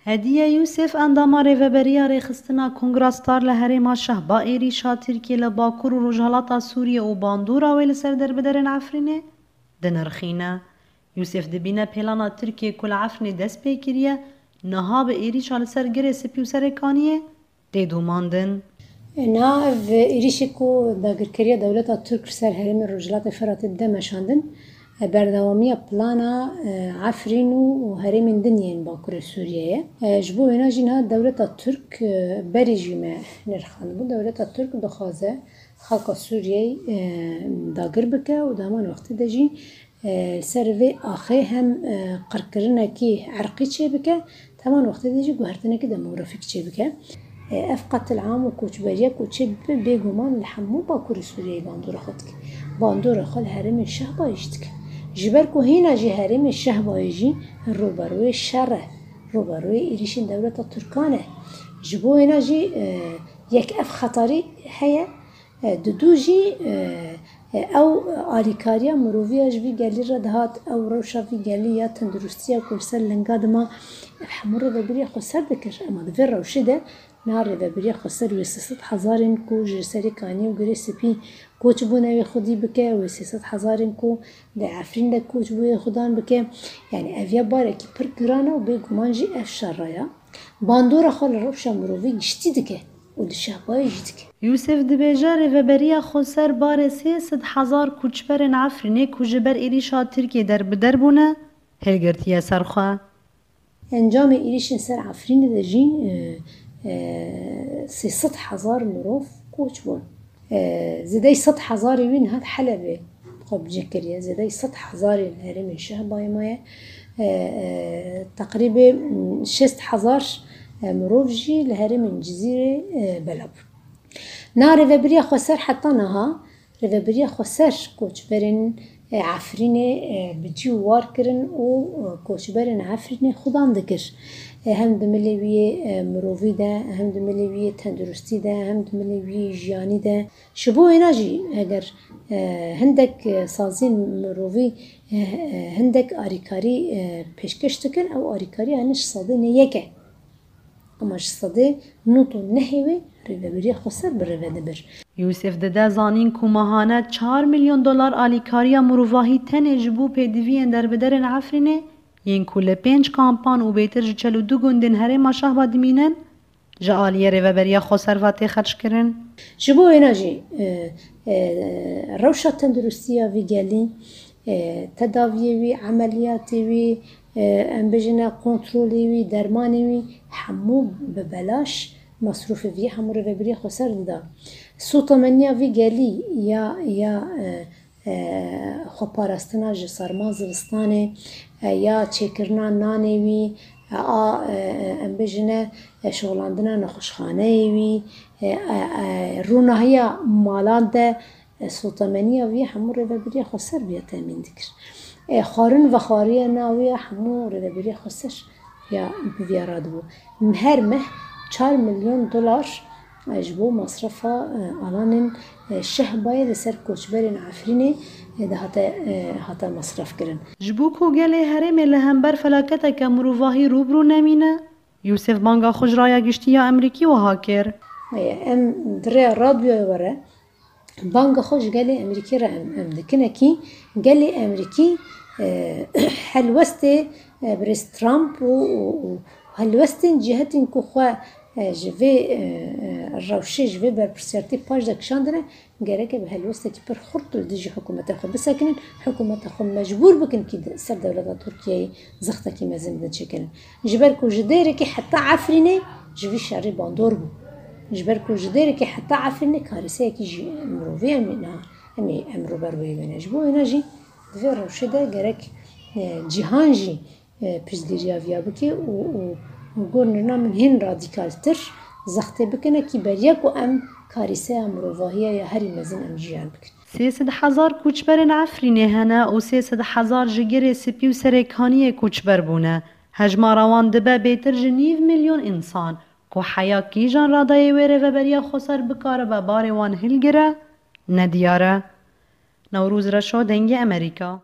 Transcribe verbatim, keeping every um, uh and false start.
Hediye Yûsef, endama Rêveberiya Rêxistina Kongra Star li herêma Şehba, êrîşa Tirkiyê li Bakur û Rojhilata Sûriyê û bandora wê li ser derbiderên Efrînê dinirxîne. Yûsef dibîne pêlana Tirkiyê ku li Efrînê dest pê kiriye, niha bi êrîşa li ser Girê Spî û Serêkaniyê tê domandin. Niha ev êrîşê ku dagirkeriya dewleta Tirk li ser herêmê Rojhilatê Firatê dide meşandin, berdewamiya plana, e, Efrîn û, û herêmên din yên Bakurê Sûriyê ye. E, ji bo wêna jî niha dewleta Tirk, e, berê jî me nirxandibû. Dewleta Tirk dixwaze xelka Sûriyeyê, e, dagir bike û di heman wextê de jî, e, li ser vê axê hem, e, qirkirinekî erqî çêbike, di heman wextê de jî guhertinekî demografîk çêbike. E, ev qetil am û koçberiya ku çêbibe, bêguman li hemû Bakurê Sûriyeyê bandora xwe dike. Bandora xwe li herêmê Şehbayê jî dike. Ji ber ku hîna jî herêmê Şehbayê jî rûberûyê şer e, rûberûyê êrîşên dewleta Tirkan e. Ji bo wêna jî, e, yek ev xetarî heye, e, didû jî, e, e, ew alîkariya miroviya ji vî gelî re dihat, ew rewşa vî gelî ya tenduristiya ku li ser linga dima, ev hemû rêvebiriya xweser dikir. Ema di vê rewşê de niha rêvebiriya xweser wê sê sed hezarên ku ji Serêkaniyê û Girê Spî koç bûne wê xwedî bike, wê sê sed hezarên ku di Efrîn de koç bûye xwedan bike. Yanî ev ya barekî pir giran e û bêguman jî ev şer raya bandora xwe li rewşa mirovî giştî dike û li Şehbayê jî dike. Yûsef dibêje, rêveberiya xweser barê sê sed hezar koçberên Efrînê ku ji ber êrîşa Tirkiyê derbider bûne, hilgirtiye ser xwe. Encamê êrîşên ser Efrînê de jî, e, e, sê sed hezar mirov koç bûn. E, zêdeyî sed hezarê wî niha di Helebê xwe bicih kiriye. Zêdeyî sed hezarê li herêmên Şehbayê maye. E, e, teqrîbê, m, şêst hezar, e, mirov jî li herêmên Cizîrê, e, bela bûn. Na rêvebiriya xweser heta niha, rêvebiriya xweser koçberên, e, Efrînê, e, bi cî û war kirin û, e, koçberên Efrînê xudan dikir. E, hem di milê wî yê, e, mirovî de, hem di milê wî yê tenduristî de, hem di milê wî yê jiyanî de. Ji bo wêna jî eger, e, hindek, e, saziyên mirovî, e, e, hindek arîkarî, e, pêşkêş dikin, ew arîkariya hene ji sedê nê yek e. Ema ji sedê nod û nehê wê rêveberiya xweser bi rêve dibir. Yûsef dide zanîn ku mehane çar milyon dolar alîkariya mirovahî tenê ji bo pêdiviyên derbiderên Efrînê, yên ku li pênc kampan û bêtir ji çel û du gundên herêma Şehba dimînin, ji aliyê Rêveberiya Xweser ve tê xerckirin. Ji bo wêna jî, e, e, rewşa tenduristiya vî gelî, e, tedaviyê wî, emeliyatê wî, e, em bêjine kontrolê wî, dermanê wî, hemû bi belaş, mesrûfê vî hemû Rêveberiya Xweser dida. Sotemeniya vî gelî ya, ya, e, e, xweparastina ji serma zivistanê, e, ya çêkirina nanê wî, e, a, e, e, em bêjine, e, şixulandina nexweşxaneyê wî, e, e, e, rûnahiya malan de, e, sotemeniya wî hemû Rêveberiya Xweser viya temîn dikir. E, xwarin vexwariya na wî ya hemû Rêveberiya Xweser ya bi viya radibû. Her meh çar milyon dolar, e, ji bo masrefa, e, alanên, e, Şehbayê li ser koçberên Efrînê, e, dihate, e, hate masref kirin. Ji bo ku gelê herêmê li hember felaketeke mirovahî rû bi rû nemîne, Yûsef banga xwe ji raya giştî ya Emerîkî wiha kir. E, em di rêya radyoyê were, banga xwe ji gelê Emerîkî re em, em dikin. Ekî gelê Emerîkî, e, helwestê, e, birêz Trump û, û, û helwestên cîhetên ku xwe, e, ji vê, e, e, rewşê, ji vê berpirsiyartî paş de kişandine, gereke bi helwestekî pir xurt li dijî hikûmeta xwe bisekinin, hikûmeta xwe mecbûr bikin kî de-, ser dewleta Tirkiyeyê zextekî mezin bidin çêkirin. Ji ber ku ji dêrekî heta Efrînê ji vî şerî bandor bû. Ji ber ku ji dêrekî heta Efrînê kareseyekî ji mirovî em ê niha, em ê em rûber wê wêne. Ji bo wêne jî di vê rewşê de gerek, e, cîhan jî, e, piştgiriya viya bike û, û, û gor nirna min hîn radîkaltir zextê bikine kî beriya ku em karîseya mirovahiya ya herî mezin em jiyan bikin. Sê sed hezar koçberên Efrînê hene û sê sed hezar ji Girê Spî û Serêkaniyê koçber bûne. Hejmara wan dibe bêtir ji nîv milyon însan, ku heya kîjan radayê wê Rêveberiya Xweser bikaribe barê wan hilgire, nediyar e. Newroz Reşo, Dengê Emerîka.